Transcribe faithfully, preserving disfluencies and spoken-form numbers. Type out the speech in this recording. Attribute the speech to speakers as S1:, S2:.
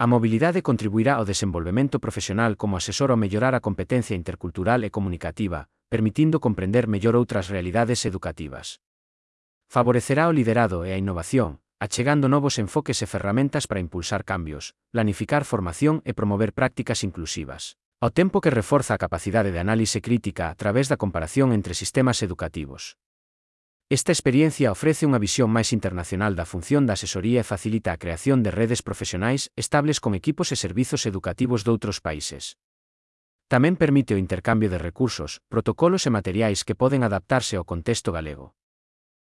S1: A mobilidade contribuirá ao desenvolvemento profesional como asesor ao mellorar a competencia intercultural e comunicativa, permitindo comprender mellor outras realidades educativas. Favorecerá o liderado e a innovación, achegando novos enfoques e ferramentas para impulsar cambios, planificar formación e promover prácticas inclusivas, ao tempo que reforza a capacidade de análise crítica a través da comparación entre sistemas educativos. Esta experiencia ofrece unha visión máis internacional da función da asesoría e facilita a creación de redes profesionais estables con equipos e servizos educativos doutros países. Tamén permite o intercambio de recursos, protocolos e materiais que poden adaptarse ao contexto galego.